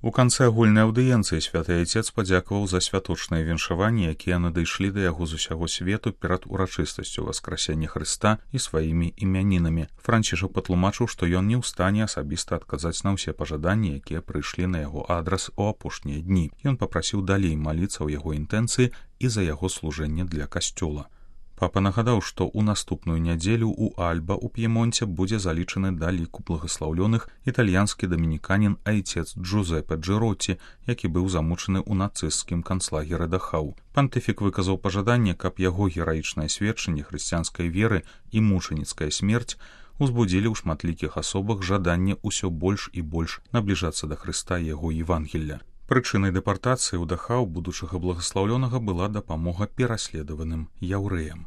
У канцы агульнай аўдыенцыі святы айцец падзякаваў за святочныя віншаванні, якія надышлі да яго з усяго свету перад урачыстасцю васкрасення Хрыста і сваімі імянінамі. Францішак патлумачыў, што ён не ў стане асабіста адказаць на ўсе пажаданні, якія прыйшлі на яго адрас у апошнія дні. Ён папрасіў далей маліцца ў яго інтэнцыі і за яго служэнне для касцёла. Папа нагадаў, што ў наступную нядзелю ў Альба ў П'емонце будзе залічаны да ліку благаслаўлёных італьянскі дамініканін айцец Джузеппе Джэротці, які быў замучаны ў нацысцкім канцлагеры Дахау. Пантыфік выказаў пажаданне, каб яго гераічнае сведчанне хрысціянскай веры і мучаніцкая смерць узбудзілі ў шматлікіх асобах жаданне ўсё больш і больш набліжацца да Хрыста і яго Евангелля. Прычынай дэпартацыі ў Дахау будучага благаслаўлёнага была дапамога пераследаваным яўрэям.